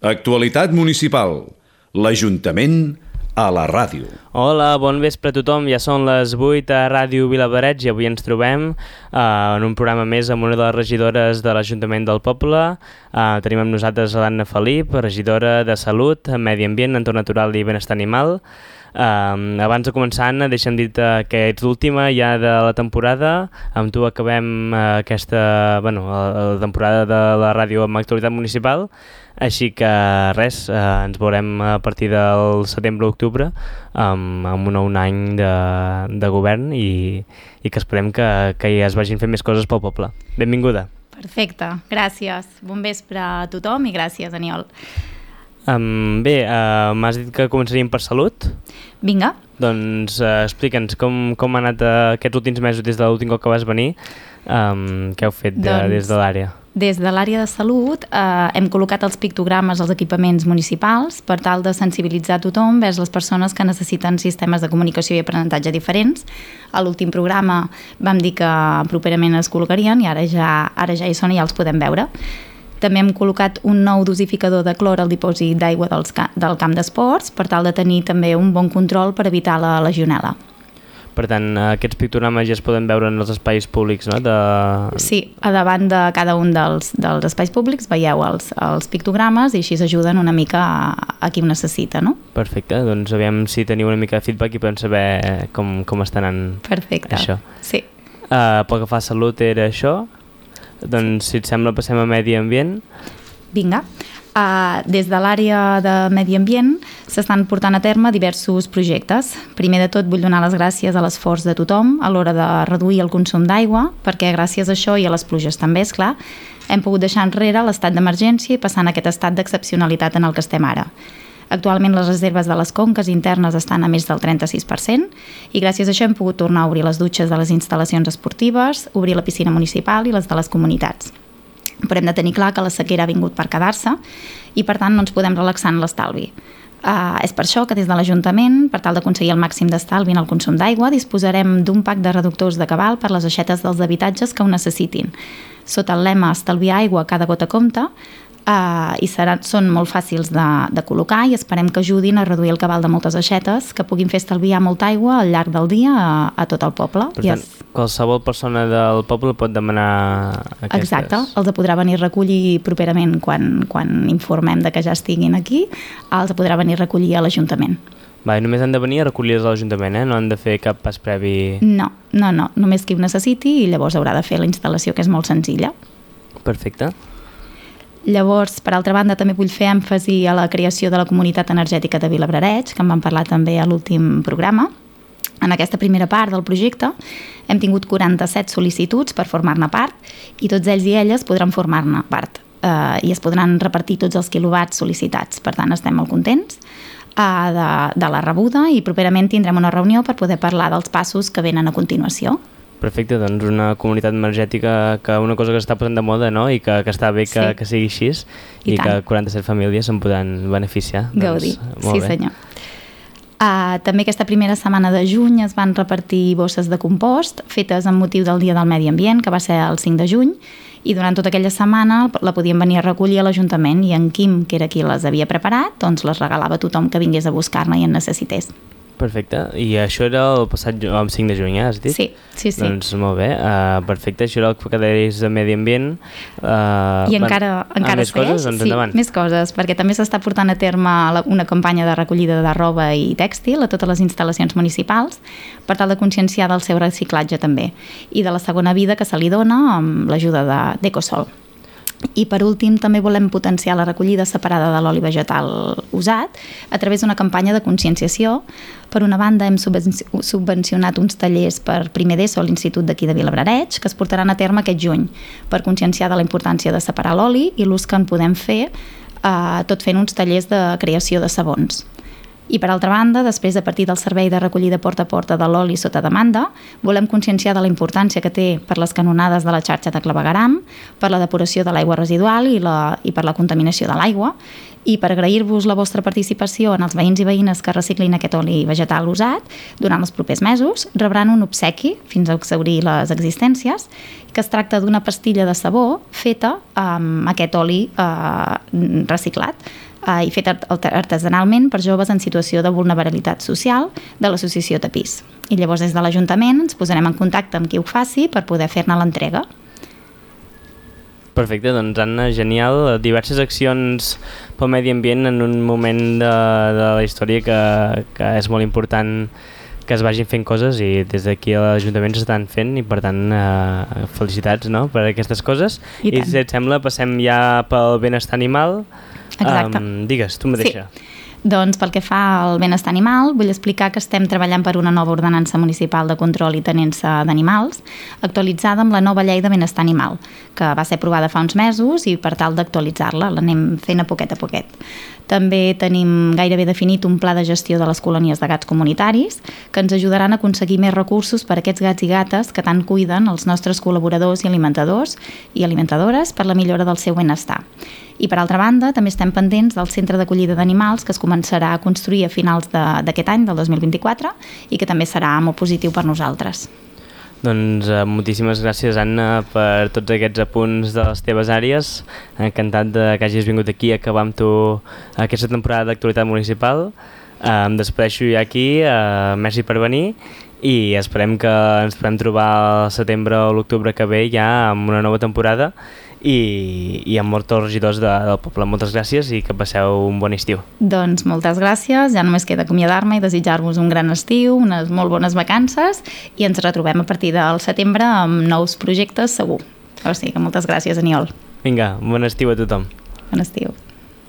Actualitat municipal. L'Ajuntament a la ràdio. Hola, bon vespre a tothom. Ja són les 8 a Ràdio Vilablareix i avui ens trobem en un programa més amb una de les regidores de l'Ajuntament del poble. Tenim amb nosaltres l'Anna Felip, regidora de Salut, Medi Ambient, Entorn Natural i Benestar Animal. Abans de començar, Anna, deixa'm dir-te que ets l'última ja de la temporada. Amb tu acabem la temporada de la ràdio amb actualitat municipal. Així que res, ens veurem a partir del setembre-octubre amb un nou any de govern i que esperem que ja es vagin fent més coses pel poble. Benvinguda. Perfecte, gràcies. Bon vespre a tothom i gràcies, Aniol. M'has dit que començaríem per Salut? Vinga. Doncs explica'ns com han anat aquests últims mesos des de l'últim cop que vas venir. Què heu fet des de l'àrea? Des de l'àrea de Salut hem col·locat els pictogrames als equipaments municipals per tal de sensibilitzar a tothom vers les persones que necessiten sistemes de comunicació i aprenentatge diferents. A l'últim programa vam dir que properament es col·locarien i ara ja hi són i ja els podem veure. També hem col·locat un nou dosificador de clor al dipòsit d'aigua del camp d'esports per tal de tenir també un bon control per evitar la legionel·la. Per tant, aquests pictogrames ja es poden veure en els espais públics, no? Sí, a davant de cada un dels espais públics veieu els pictogrames i així s'ajuden una mica a qui ho necessita, no? Perfecte, doncs aviam si teniu una mica de feedback i podem saber com està anant. Perfecte, això. Sí. Pel que fa a Salut era això. Doncs, si et sembla, passem a Medi Ambient. Vinga. Des de l'àrea de Medi Ambient s'estan portant a terme diversos projectes. Primer de tot vull donar les gràcies a l'esforç de tothom a l'hora de reduir el consum d'aigua, perquè gràcies a això i a les pluges també, és clar, hem pogut deixar enrere l'estat d'emergència i passar en aquest estat d'excepcionalitat en el que estem ara. Actualment les reserves de les conques internes estan a més del 36% i gràcies a això hem pogut tornar a obrir les dutxes de les instal·lacions esportives, obrir la piscina municipal i les de les comunitats. Però hem de tenir clar que la sequera ha vingut per quedar-se i per tant no ens podem relaxar en l'estalvi. És per això que des de l'Ajuntament, per tal d'aconseguir el màxim d'estalvi en el consum d'aigua, disposarem d'un pack de reductors de cabal per les aixetes dels habitatges que ho necessitin. Sota el lema Estalviar aigua, cada gota compta, i són molt fàcils de col·locar i esperem que ajudin a reduir el cabal de moltes aixetes que puguin fer estalviar molta aigua al llarg del dia a tot el poble. Per tant, qualsevol persona del poble pot demanar aquestes. Exacte, els podrà venir a recollir properament quan informem de que ja estiguin aquí, els podrà venir a recollir a l'Ajuntament. Només han de venir a recollir-los a l'Ajuntament, no han de fer cap pas previ? No, només qui ho necessiti i llavors haurà de fer la instal·lació, que és molt senzilla. Perfecte. Llavors, per altra banda, també vull fer èmfasi a la creació de la comunitat energètica de Vilablareix, que en vam parlar també a l'últim programa. En aquesta primera part del projecte hem tingut 47 sol·licituds per formar-ne part i tots ells i elles podran formar-ne part i es podran repartir tots els quilowatts sol·licitats. Per tant, estem molt contents de la rebuda i properament tindrem una reunió per poder parlar dels passos que venen a continuació. Perfecte, doncs una comunitat energètica, que una cosa que s'està posant de moda, no? I que està bé que sigui així i que 47 famílies se'n podran beneficiar. Gaudir, sí senyor. També aquesta primera setmana de juny es van repartir bosses de compost fetes amb motiu del Dia del Medi Ambient, que va ser el 5 de juny, i durant tota aquella setmana la podien venir a recollir a l'Ajuntament i en Quim, que era qui les havia preparat, doncs les regalava a tothom que vingués a buscar-ne i en necessités. Perfecte, i això era el passat 5 de juny, has dit? Sí. Doncs molt bé, perfecte, això era el que deies de Medi Ambient. I encara més coses? Doncs endavant. Sí, més coses, perquè també s'està portant a terme una campanya de recollida de roba i tèxtil a totes les instal·lacions municipals per tal de conscienciar del seu reciclatge també i de la segona vida que se li dona amb l'ajuda d'Ecosol. I per últim també volem potenciar la recollida separada de l'oli vegetal usat a través d'una campanya de conscienciació. Per una banda hem subvencionat uns tallers per primer d'ESO a l'Institut d'aquí de Vilablareix que es portaran a terme aquest juny per conscienciar de la importància de separar l'oli i l'ús que en podem fer tot fent uns tallers de creació de sabons. I per altra banda, després a partir del servei de recollida porta a porta de l'oli sota demanda, volem conscienciar de la importància que té per les canonades de la xarxa de clavegueram, per la depuració de l'aigua residual i per la contaminació de l'aigua. I per agrair-vos la vostra participació en els veïns i veïnes que reciclin aquest oli vegetal usat, durant els propers mesos rebran un obsequi, fins a exhaurir les existències, que es tracta d'una pastilla de sabó feta amb aquest oli reciclat. i fet artesanalment per joves en situació de vulnerabilitat social de l'associació Tapís. I llavors des de l'Ajuntament ens posarem en contacte amb qui ho faci per poder fer-ne l'entrega. Perfecte, doncs Anna, genial. Diverses accions pel medi ambient en un moment de la història que és molt important que es vagin fent coses i des d'aquí a l'Ajuntament s'estan fent i per tant felicitats, no?, per aquestes coses. I si et sembla passem ja pel benestar animal. Exacte. Digues, tu mateixa. Sí. Doncs pel que fa al benestar animal, vull explicar que estem treballant per una nova ordenança municipal de control i tenença d'animals, actualitzada amb la nova llei de benestar animal, que va ser aprovada fa uns mesos i per tal d'actualitzar-la l'anem fent a poquet. També tenim gairebé definit un pla de gestió de les colònies de gats comunitaris que ens ajudaran a aconseguir més recursos per a aquests gats i gates que tant cuiden els nostres col·laboradors i alimentadors i alimentadores per la millora del seu benestar. I per altra banda, també estem pendents del centre d'acollida d'animals que es començarà a construir a finals d'aquest any, del 2024, i que també serà molt positiu per nosaltres. Doncs moltíssimes gràcies, Anna, per tots aquests apunts de les teves àrees. Encantat que hagis vingut aquí a acabar amb tu aquesta temporada d'actualitat municipal. Em despedeixo ja aquí, merci per venir i esperem que ens podem trobar al setembre o l'octubre que ve ja amb una nova temporada i amb molts regidors del poble. Moltes gràcies i que passeu un bon estiu. Doncs moltes gràcies, ja només queda acomiadar-me i desitjar-vos un gran estiu, unes molt bones vacances i ens retrobem a partir del setembre amb nous projectes segur. O sigui que moltes gràcies, Aniol. Vinga, bon estiu a tothom. Bon estiu.